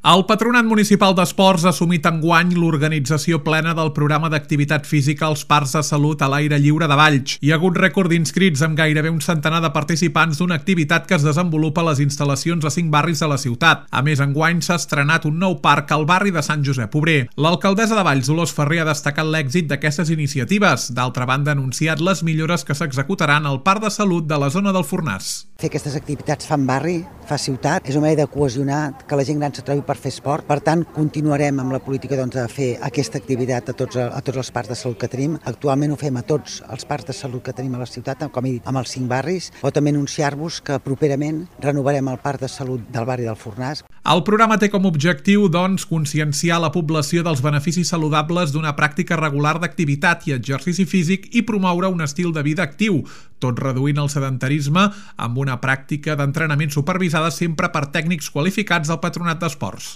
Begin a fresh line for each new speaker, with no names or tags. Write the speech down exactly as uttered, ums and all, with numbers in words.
El Patronat Municipal d'Esports ha assumit enguany l'organització plena del programa d'activitat física als parcs de salut a l'aire lliure de Valls. Hi ha hagut rècord d'inscrits amb gairebé un centenar de participants d'una activitat que es desenvolupa a les instal·lacions a cinc barris de la ciutat. A més, enguany s'ha estrenat un nou parc al barri de Sant Josep Obrer. L'alcaldessa de Valls, Dolors Ferrer, ha destacat l'èxit d'aquestes iniciatives. D'altra banda, ha anunciat les millores que s'executaran al parc de salut de la zona del Fornàs.
Fer aquestes activitats fan barri, fa ciutat, és una manera de cohesionar, que la gent gran se trobi per fer esport. Per tant, continuarem amb la política doncs, de fer aquesta activitat a tots, a tots els parcs de salut que tenim. Actualment ho fem a tots els parcs de salut que tenim a la ciutat, com he dit, amb els cinc barris, o també anunciar-vos que properament renovarem el parc de salut del barri del Fornàs.
El programa té com a objectiu, doncs, conscienciar la població dels beneficis saludables d'una pràctica regular d'activitat i exercici físic i promoure un estil de vida actiu, tot reduint el sedentarisme amb una pràctica d'entrenament supervisada sempre per tècnics qualificats del Patronat d'Esports.